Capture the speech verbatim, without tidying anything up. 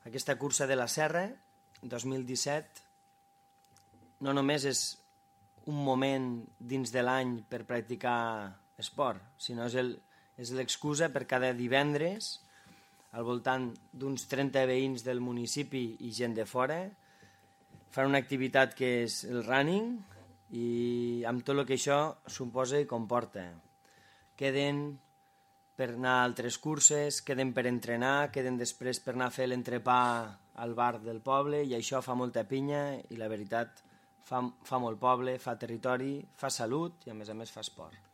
Aquesta cursa de la Serra, dos mil disset, no només és un moment dins de l'any per practicar esport, sinó és l'excusa per cada divendres, al voltant d'uns trenta veïns del municipi i gent de fora, fan una activitat que és el running i amb tot el que això suposa i comporta. Queden per anar a altres curses, queden per entrenar, queden després per anar a fer l'entrepà al bar del poble i això fa molta pinya i la veritat fa, fa molt poble, fa territori, fa salut i a més a més fa esport.